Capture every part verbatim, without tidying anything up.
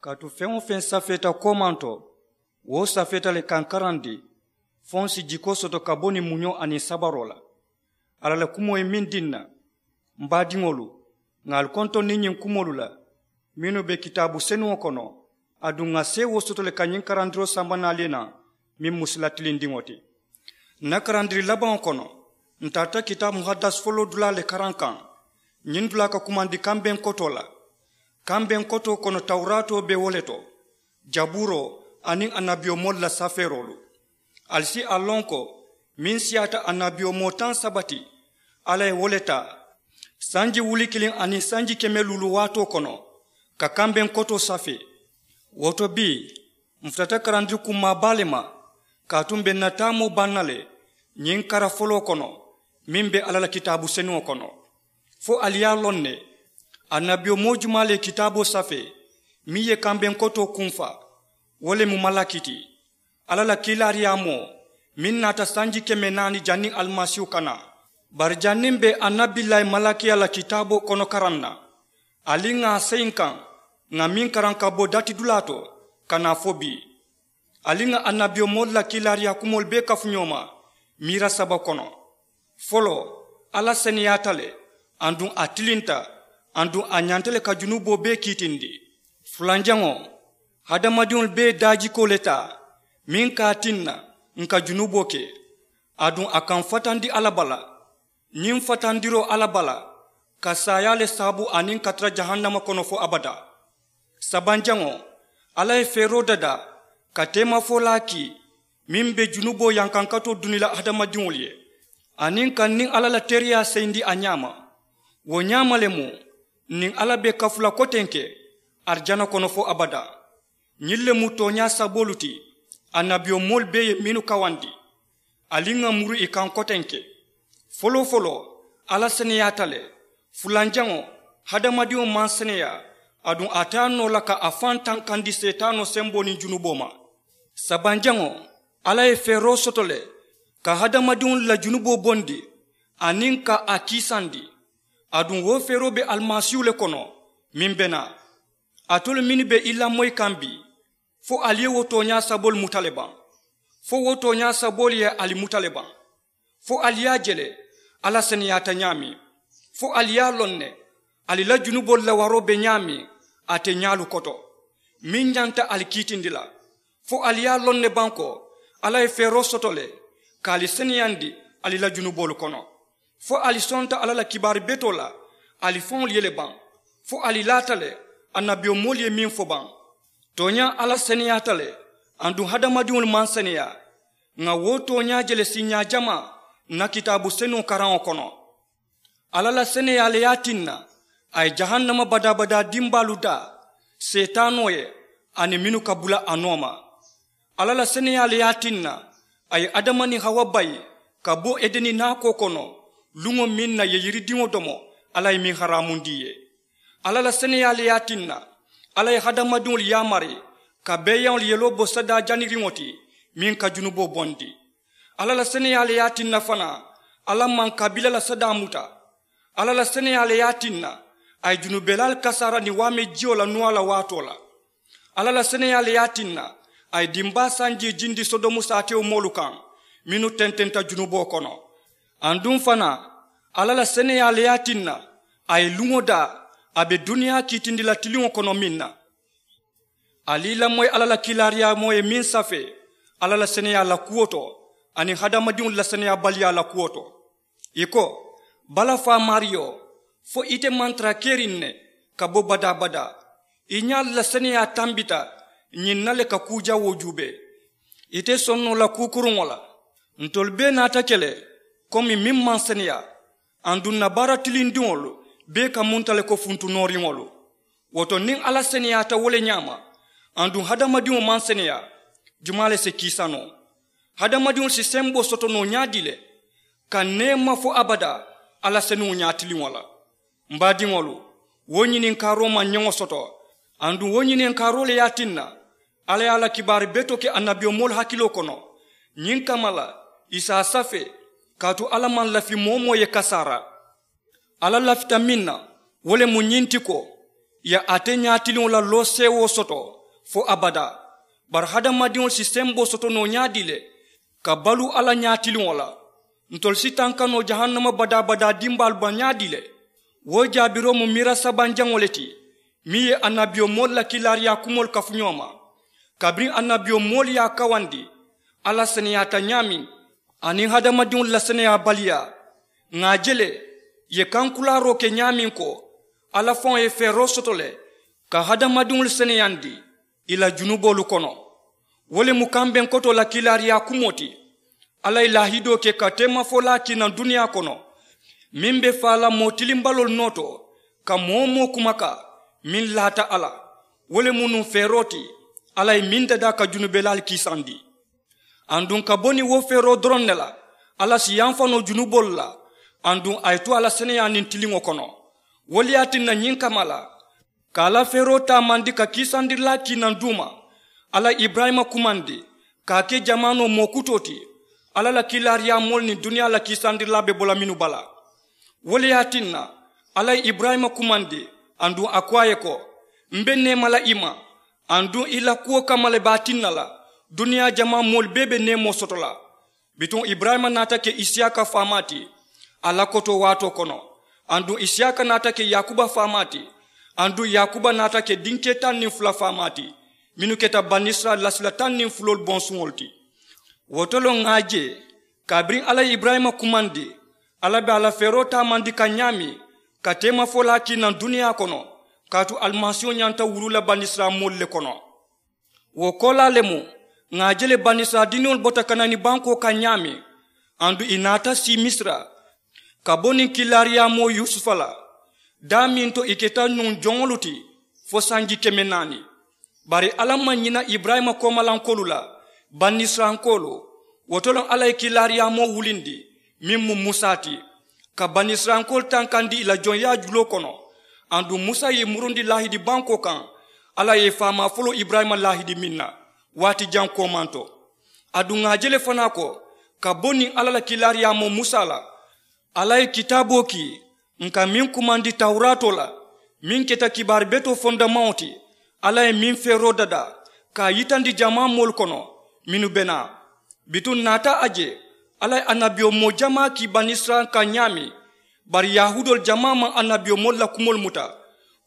Kaatu feŋ-wo-feŋ safeeta koomaŋ to, wo safeeta le kaŋ karandi, fo ǹ si jikoo soto ka bo niŋ muñoo aniŋ sabaroo la. Alla la kumoo ye meŋ dii ǹ na, m baadiŋolu, ŋà ali kontondi ñiŋ kumoolu la mennu be kitaabu senuŋo kono, aduŋ ŋà seewoo soto le ka ñiŋ karandiroo samba naali ye naŋ, meŋ mu sila tilindiŋo ti. Ǹ na karandiri labaŋo kono, ǹ tarata kitaabu muhadasi foloo dulaa le karaŋ kaŋ. Ñiŋ dulaa ka kumandi kambeŋ kotoo la. Kambeŋ kotoo kono tawuraatoo be wo le to, jabuuroo aniŋ annabiyomoolu la safeeroolu. Ali si a loŋ ko meŋ siyaata annabiyomoo taŋ saba ti, alla ye wo le taa sanji wuli kiliŋ aniŋ sanji keme luulu waatoo kono, ka kambeŋ kotoo safee. Wo to bii, m futata karandiri kummaa baa le ma, kaatu m be ǹ na taamoo baŋ na le ñiŋ kara foloo kono, meŋ be alla la kitaabu senuŋo kono. Fo ali ye a loŋ ne, annabiyomoo jumaa le ye kitaaboo safee meŋ ye kambeŋ kotoo kunfaa? Wo le mu malaki ti, alla la kiilaariyaamoo, meŋ naata sanji keme naani janniŋ alimasiihu ka naa. Bari janniŋ m be annabillahi malakiya la kitaaboo kono karaŋ na, ali ŋà a seyi n kaŋ, ŋà meŋ karaŋ ka bo datidulaa to ka naa fo bii. Ali ŋà annabiyomoolu la kiilaariyaa kumoolu bee kafu ñoo ma miira saba kono. Foloo, alla seneyaata le, aduŋ a tilinta, aduŋ a ñanta le ka junuboo bee kiitindi. Fulanjaŋo, hadamadiŋolu bee ye daajikoo le taa meŋ ka a tinna ǹ ka junuboo ke, aduŋ a ka m fatandi alla bala. Ñiŋ fatandiroo alla bala ka saayaa le saabu aniŋ ka tara jahannama kono fo abadaa. Sabanjaŋo, alla ye feeroo dadaa ka teemafolaa kii meŋ be junuboo yankankatoo duni la hadamadiŋolu ye, aniŋ ka n niŋ alla la tereyaa seyindi a ñaama. Wo ñaama le mu, n niŋ alla be kafu la kotenke arijana kono fo abadaa. Ñiŋ le mu tooñaa saboolu ti annabiyomoolu bee ye mennu kawandi. Ali ŋà muru ì kaŋ kotenke. Foloo-foloo, alla seneyaata le. Fulanjaŋo, hadamadiŋo maŋ seneyaa, aduŋ a te a noo la ka a faŋ tankandi seetaanoo semboo niŋ junuboo ma. Sabanjaŋo, alla ye feeroo soto le ka hadamadiŋolu la junuboo bondi, aniŋ ka a kiisandi. Aduŋ wo feeroo be alimasiihu le kono, meŋ be naa. Alitolu mennu be ì lamoyi kaŋ bii, fo ali ye wo tooñaa saboolu muta le baŋ? Fo wo tooñaa saboolu ye ali muta le baŋ? Fo ali ye a je le, alla seneyaata ñaameŋ? Fo ali ye a loŋ ne, ali la junuboolu la waroo be ñaameŋ a te ñaalu koto, meŋ ñanta ali kiitindi la? Fo ali ye a loŋ ne baŋ ko alla ye feeroo soto le ka ali seneyandi ali la junuboolu kono? Fo ali sonta alla la kibaari betoo la ali faŋolu ye le baŋ? Fo ali laata le annabiyomoolu ye meŋ fo baŋ? Tooñaa, alla seneyaata le, aduŋ hadamadiŋolu maŋ seneyaa. Ŋà wo tooñaa je le siiñaa jamaa n na kitaabu senuŋo karaŋo kono. Alla la seneyaa le ye a tinna a ye jahannama badaa-badaa dimbaalu daa seetaanoo ye, aniŋ mennu ka bula a nooma. Alla la seneyaa le ye a tinna a ye adama niŋ hawa bayi ka bo edeni naakoo kono, luŋo meŋ na ì ye yiridiŋo domo alla ye meŋ haraamundi ì ye. Alla la seneyaa le ye a tinna alla ye hadamadiŋolu yaamari ka beeyaŋolu yeloo bo sadaa janiriŋo ti, meŋ ka junuboo bondi. Alla la seneyaa le ye a tinna fanaa alla maŋ kabiila la sadaa muta. Alla la seneyaa le ye a tinna a ye junubelaalu kasaara niŋ waame jiyo la nuwaa la waatoo la. Alla la seneyaa le ye a tinna a ye dimbaa sanjii jindi sodomu saatewo moolu kaŋ, mennu tententa junuboo kono. Aduŋ fanaa, alla la seneyaa le ye a tinna a ye luŋo daa a be duniyaa kiitindi la tiliŋo kono meŋ na. Ali i lamoyi alla la kiilaariyaamoo ye meŋ safee alla la seneyaa la kuwo to, aniŋ hadamadiŋolu la seneyaabaliyaa la kuwo to. Ì ko, balafaa maariyo, fo ite maŋ tara keriŋ ne ka bo badaa-badaa? I ñaalu la seneyaa tambita ñiŋ na le ka kuu jawoo juubee. Ite soŋ noo la kuu kuruŋo la. Ntolu bee naata ke le komi meŋ maŋ seneyaa, aduŋ ǹ na baara tilindiŋolu bee ka munta le ko funtu nooriŋolu. Wo to niŋ alla seneyaata wo le ñaama, aduŋ hadamadiŋo maŋ seneyaa, jumaa le si kiisa noo? Hadamadiŋolu si semboo soto noo ñaadii le ka neema fo abadaa alla senuŋo ñaatiliŋo la? M baadiŋolu, wo ñininkaaroo maŋ ñeŋo soto. Aduŋ wo ñininkaaroo le ye a tinna alla ye a la kibaari betoo ke annabiyomoolu hakiloo kono. Ñiŋ kamma la, ì si a safee, kaatu alla maŋ lafi moo-wo-moo ye kasaara. Alla lafita meŋ na, wo le mu ñiŋ ti ko, ì ye ate ñaatiliŋo la looseewoo soto fo abadaa. Bari hadamadiŋolu si semboo soto noo ñaadii le ka baluu alla ñaatiliŋo la? Ntolu si tanka noo jahannama badaa badaa dimbaalu ma ñaadii le? Wo jaabiroo mu miira sabanjaŋo le ti, meŋ ye annabiyomoolu la kiilaariyaa kumoolu kafu ñoo ma. Kabiriŋ annabiyomoolu ye a kawandi alla seneyaata ñaameŋ, aniŋ hadamadiŋolu la seneyaabaliyaa, ŋà a je le ì ye kankulaaroo ke ñaameŋ ko alla faŋo ye feeroo soto le ka hadamadiŋolu seneyandi ì la junuboolu kono. Wo le mu kambeŋ kotoo la kiilaariyaa kumoo ti. Alla ye laahidoo ke ka teemafolaa kii naŋ duniyaa kono, meŋ be faa la moo tilimbaloolu noo to ka moo-wo-moo kumakaa meŋ laata a la. Wo le mu nuŋ feeroo ti alla ye meŋ dadaa ka junubelaalu kiisandi. Aduŋ ka bo niŋ wo feeroo doroŋ ne la, alla si yamfa noo junuboolu la, aduŋ a ye tu a la seneyaa niŋ tiliŋo kono. Wo le ye a tinna ñiŋ kamma la, ka a la feeroo taamandi ka kiisandirilaa kii naŋ duuma, alla ye iburayima kumandi ka a ke jamaanoo moo kutoo ti. Alla la kiilaariyaamoolu niŋ duniyaa la kiisandirilaa be bo la mennu bala. Wo le ye a tinna alla ye iburayima kumandi, aduŋ a ko a ye ko, m be neema la i ma, aduŋ i la kuwo kamma le be a tinna la duniyaa jamaa moolu bee be neemoo soto la. Bituŋ iburayima naata ke isiyaaka faamaa ti a la kotoo waatoo kono, aduŋ isiyaaka naata ke yaakuba faamaa ti, aduŋ yaakuba naata ke dinkee taŋ niŋ fula faamaa ti, mennu keta banisirayila lasila taŋ niŋ fuloolu bonsuŋolu ti. Wo to le ŋà a je, kabiriŋ alla ye iburayima kumandi, alla be a la feeroo taamandi kaŋ ñaameŋ ka teemafolaa kii naŋ duniyaa kono, kaatu alimasiiho ñanta wuluu la banisirayila moolu le kono. Wo koolaa le mu, ŋà a je le banisirayila diniŋolu bota kanani bankoo kaŋ ñaameŋ, aduŋ ì naata sii misira ka bo niŋ kiilaariyaamoo yusufa la, daameŋ to ì keta nuŋ joŋolu ti fo sanji keme naani. Bari alla maŋ ñina iburayima koomalankoolu la, banisirayilankoolu. Wo to le alla ye kiilaariyaamoo wulindi, meŋ mu musa ti, ka banisirayilankoolu tankandi ì la joŋyaa juloo kono. Aduŋ musa ye ì murundi laahidi bankoo kaŋ alla ye ì faamaa foloo iburayima laahidi meŋ na, waati jaŋ koomanto. Aduŋ ŋà a je le fanaa ko, ka bo niŋ alla la kiilaariyaamoo musa la, alla ye kitaaboo kii, ǹ ka meŋ kumandi tawuraatoo la, meŋ keta kibaari betoo fondamaŋo ti. Alla ye meŋ feeroo dadaa ka a yitandi jamaa moolu kono, mennu be naa. Bituŋ ǹ naata a je, alla ye annabiyomoo jamaa kii banisirayila kaŋ ñaameŋ, bari yahuudoolu jamaa maŋ annabiyomoolu la kumoolu muta,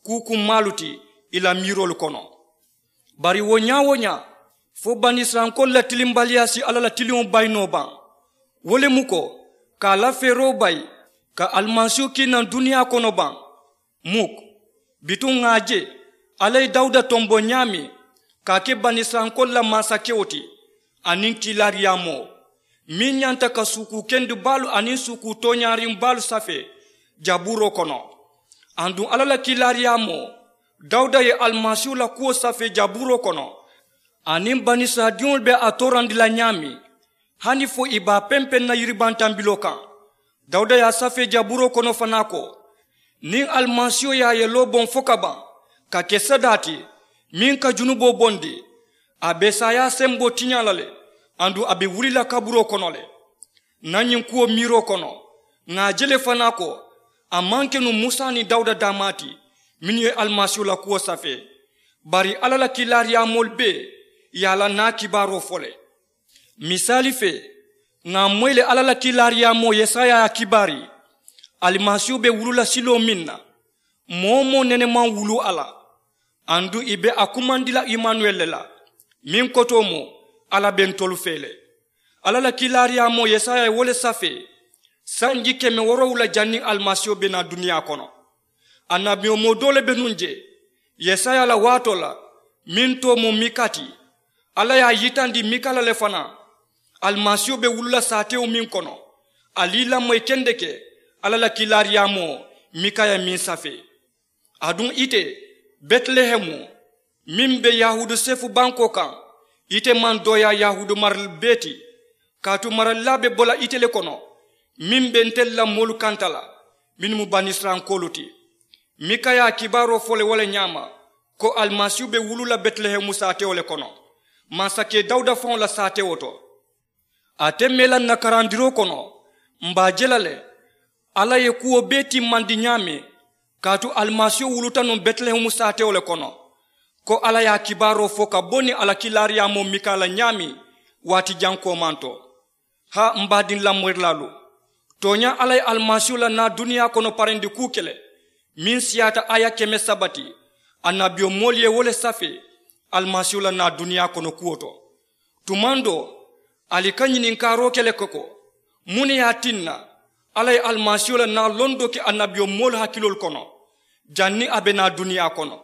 kuu kummaalu ti ì la miiroolu kono. Bari wo ñaa-wo-ñaa, fo banisirayilankoolu la tilimbaliyaa si alla la tiliŋo bayi noo baŋ? Wo le mu ko, ka a la feeroo bayi ka alimasiihu kii naŋ duniyaa kono baŋ? Muk. Bituŋ ŋà a je, alla ye dawuda tombo ñaameŋ ka a ke banisirayilankoolu la mansakewo ti, aniŋ kiilaariyaamoo, meŋ ñanta ka suukuu kendubaalu aniŋ suukuu tooñaariŋ baalu safee jabuuroo kono. Aduŋ alla la kiilaariyaamoo dawuda ye alimasiihu la kuwo safee jabuuroo kono, aniŋ banisirayiladiŋolu be a toorandi la ñaameŋ, hani fo ì be a pempeŋ na yiribantambiloo kaŋ. Dawuda ye a safee jabuuroo kono fanaa ko, niŋ alimasiiho ye a yeloo boŋ fo ka baŋ ka ke sadaa ti meŋ ka junuboo bondi, a be saayaa semboo tiñaa la le, aduŋ a be wuli la kaburoo kono le. Ǹ na ñiŋ kuwo miiroo kono, ŋà a je le fanaa ko, a maŋ ke nuŋ musa niŋ dawuda daamaa ti mennu ye alimasiiho la kuwo safee, bari alla la kiilaariyaamoolu bee ye a la naa kibaaroo fo le. Misaali fee, ŋà a moyi le alla la kiilaariyaamoo yesaya ye a kibaari, alimasiiho be wuluu la siloo meŋ na, moo-wo-moo nene maŋ wuluu a la. Aduŋ ì be a kumandi la imanuweli le la, meŋ kotoo mu, alla be ntolu fee le. Alla la kiilaariyaamoo yesaya ye wo le safee sanji keme woorowula janniŋ alimasiiho be naa duniyaa kono. Annabiyomoo doo le be nuŋ jee, yesaya la waatoo la, meŋ too mu mika ti. Alla ye a yitandi mika la le fanaa, alimasiiho be wuluu la saatewo meŋ kono. Ali i lamoyi kendeke alla la kiilaariyaamoo mika ye meŋ safee. Aduŋ ite, betilehemu, meŋ be yahuudu seefu bankoo kaŋ, ite maŋ dooyaa yahuudu marali bee ti, kaatu maralilaa be bo la ite le kono, meŋ be ntelu la moolu kanta la, mennu mu banisirayilankoolu ti. Mika ye a kibaaroo fo le wo le ñaama, ko alimasiihu be wuluu la betilehemu saatewo le kono, mansakee dawuda faŋo la saatewo to. Ate mee la ǹ na karandiroo kono, m̀ be a je la le, alla ye kuwo bee timmandi ñaameŋ, Kaatu alimasiiho wuluta nuŋ betilehemu saatewo le kono, ko alla ye a kibaaroo fo ka bo niŋ a la kiilaariyaamoo mika la ñaameŋ waati jaŋ koomanto. Haa, m baadiŋ lamoyirilaalu, tooñaa alla ye alimasiiho la naa duniyaa kono parendi kuu ke le meŋ siyaata aaya keme saba ti. Annabiyomoolu ye wo le safee alimasiiho la naa duniyaa kono kuwo to. Tumaŋ doo, ali ka ñininkaaroo ke le ko, ko muŋ ne ye a tinna alla ye alimasiiho la naa londoo ke annabiyomoolu hakiloolu kono janniŋ a be naa duniyaa kono?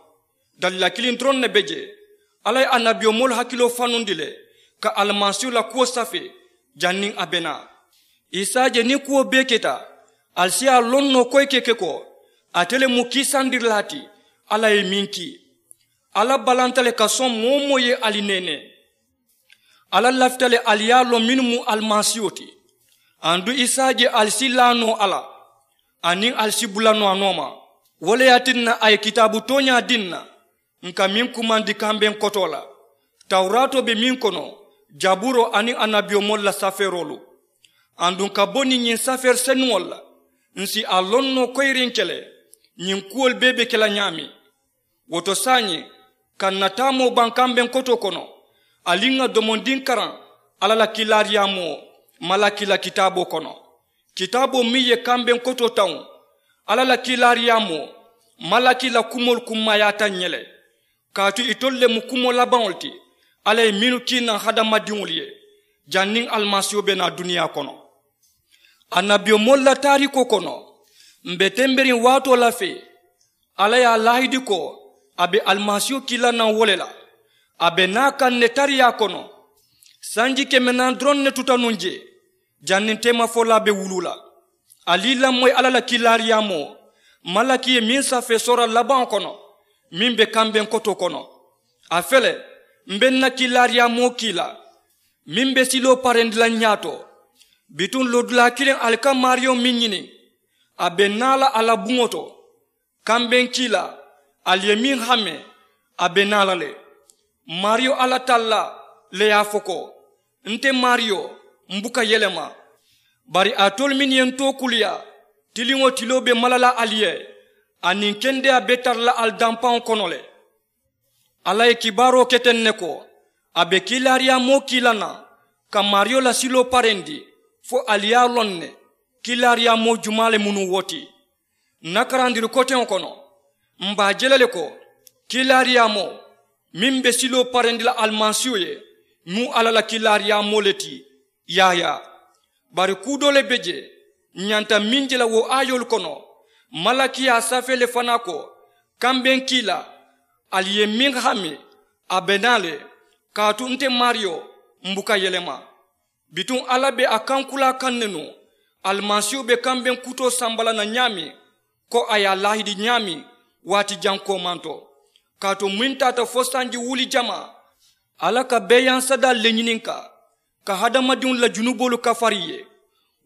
Dalila kiliŋ doroŋ ne be jee. Alla ye annabiyomoolu hakiloo fanundi le ka alimasiiho la kuwo safee janniŋ a be naa. Isa je niŋ kuwo bee keta, ali si a loŋ noo koyi ke ke ko ate le mu kiisandirilaa ti alla ye meŋ kii. Alla balanta le ka soŋ moo wo moo ye ali neenee. Alla lafita le ali ye a loŋ mennu mu alimasiiho ti. Aduŋ isa je ali si laa noo a la aniŋ ali si bula noo a nooma. Wo le ye a tinna a ye kitaabu tooñaa dii n na n ka meŋ kumandi kambeŋ kotoo la. Tawuraatoo be meŋ kono, jaburoo aniŋ annabiyomoolu la safeeroolu. Aduŋ ka bo niŋ ñiŋ safeeri senuŋolu la, n si a loŋ noo koyiriŋ ke le ñiŋ kuwolu bee be ke la ñaameŋ. Wo to saayiŋ, ka n na taamoo baŋ kambeŋ kotoo kono, ali ŋà domondiŋ karaŋ alla la kiilaariyaamoo malaki la kitaaboo kono. Kitaaboo meŋ ye kambeŋ kotoo tawuŋ, alla la kiilaariyaamoo malaki la kumoolu kummaayaata n ye le. Kaatu itolu le mu kumoo labaŋolu ti alla ye mennu kii naŋ hadamadiŋolu ye janniŋ alimasiiho be naa duniyaa kono. Annabiyomoolu la taariikoo kono, m be temberiŋ waatoo la fee. Alla ye a laahidi ko a be alimasiiho kii la naŋ wo le la. A be naa kaŋ ne tariyaa kono. Sanji keme naani doroŋ ne tuta nuŋ jee janniŋ teemafolaa be wuluu la. Ali i lamoyi alla la kiilaariyaamoo malaki ye meŋ safee soora labaŋo kono, meŋ be kambeŋ kotoo kono. A fele, m be n na kiilaariyaamoo kii la meŋ be siloo parendi la n ñaato. Bituŋ loodulaa kiliŋ ali ka maariyo meŋ ñini, a be naa la a la buŋo to. Kambeŋ kiilaa, ali ye meŋ hame, a be naa la le. Maariyo alla tallaa le ye a fo ko, nte maariyo, m buka yelema. Bari alitolu mennu ye n tookuliyaa, tiliŋo tiloo be mala la ali ye, aniŋ kendeyaa be tara la ali dampaŋo kono le. Alla ye kibaaroo ke teŋ ne ko a be kiilaariyaamoo kii la naŋ ka maariyo la siloo parendi, fo ali ye a loŋ ne kiilaariyaamoo jumaa le mu nuŋ wo ti. N na karandiri koteŋo kono, m be a je la le ko kiilaariyaamoo meŋ be siloo parendi la alimasiiho ye, mu alla la kiilaariyaamoo le ti. Yaayaa. Bari kuu doo le be jee, ǹ ñanta meŋ je la wo aayoolu kono, malaki ye a safee le fanaa ko, kambeŋ kiilaa, ali ye meŋ hame, a be naa le. Kaatu nte maariyo, m buka yelema. Bituŋ alla be a kankulaa kaŋ ne nuŋ, alimasiiho be kambeŋ kutoo samba la naŋ ñaameŋ, ko a ye a laahidi ñaameŋ, waati jaŋ koomanto. Kaatu meŋ taata fo sanji wuli jamaa, alla ka beeyaŋ sadaalu le ñininkaa ka hadamadiŋolu la junuboolu kafari ì ye.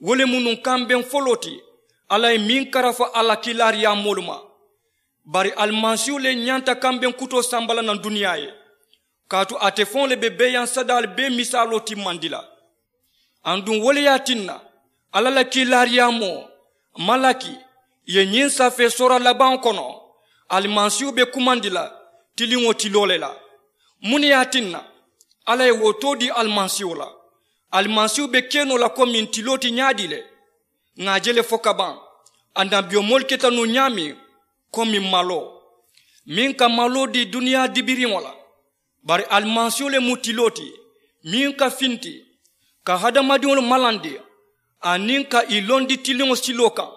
Wo le mu nuŋ kambeŋ foloo ti alla ye meŋ karafa a la kiilaariyaamoolu ma. Bari alimasiihu le ñanta kambeŋ kutoo samba la naŋ duniyaa ye, kaatu ate faŋo le be beeyaŋ sadaalu bee misaaloo timmandi la. Aduŋ wo le ye a tinna, alla la kiilaariyaamoo malaki ye ñiŋ safee soora labaŋo kono, alimasiihu be kumandi la tiliŋo tiloo le la. Muŋ ne ye a tinna? Alla ye wo too dii alimasiiho la. Alimasiihu be ke noo la komiŋ tiloo ti ñaadii le? Ŋà a je le fo ka baŋ, annabiyomoolu keta nuŋ ñaameŋ komiŋ maloo meŋ ka maloo dii duniyaa dibiriŋo la. Bari alimasiiho le mu tiloo ti meŋ ka finti ka hadamadiŋolu malandi aniŋ ka ì londi tiliŋo siloo kaŋ.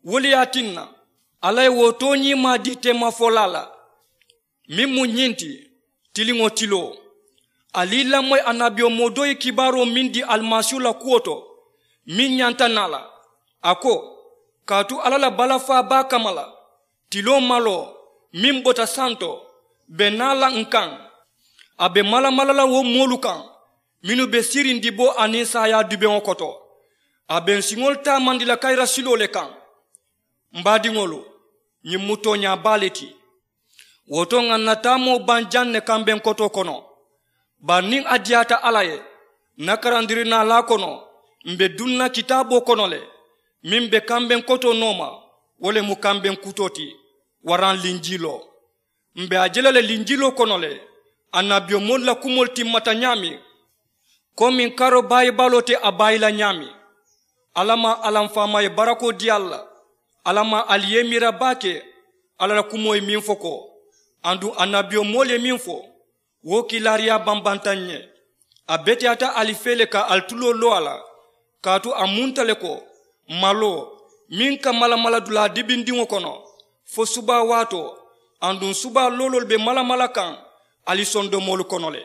Wo le ye a tinna, alla ye wo tooñiimaa dii teemafolaa la, meŋ mu ñiŋ ti, tiliŋo tiloo. Ali i lamoyi annabiyomoo doo ye kibaaroo meŋ dii alimasiihu la kuwo to, meŋ ñanta naa la. A ko, kaatu alla la balafaa baa kamma la, tiloo maloo meŋ bota santo be naa la ǹ kaŋ. A be malamala la wo moolu kaŋ mennu be siiriŋ diboo aniŋ saayaa dubeŋo koto. A be ǹ siŋolu taamandi la kayira siloo le kaŋ. M baadiŋolu, ñiŋ mu tooñaa baa le ti. Wo to ŋà ǹ na taamoo baŋ jaŋ ne kambeŋ kotoo kono. Bari niŋ a diyaata alla ye, ǹ na karandiri naalaa kono, m̀ be duŋ na kitaaboo kono le meŋ be kambeŋ kotoo nooma. Wo le mu kambeŋ kutoo ti waraŋ linjiiloo. M̀ be a je la le linjiiloo kono le, annabiyomoolu la kumoolu timmata ñaameŋ, komiŋ karoo baayibaaloo te a baayi la ñaameŋ. Alla maŋ alla m faamaa ye barakoo dii ali la. Alla maŋ ali ye i miira baake alla la kumoo ye meŋ fo ko, aduŋ annabiyomoolu ye meŋ fo, wo kiilaariyaa bambanta ǹ ye. A beteyaata ali fee le ka ali tuloo loo a la, kaatu a munta le ko, maloo meŋ ka malamala dulaa dibindiŋo kono fo subaa waatoo, aduŋ subaa looloolu be malamala kaŋ ali sondomoolu kono le.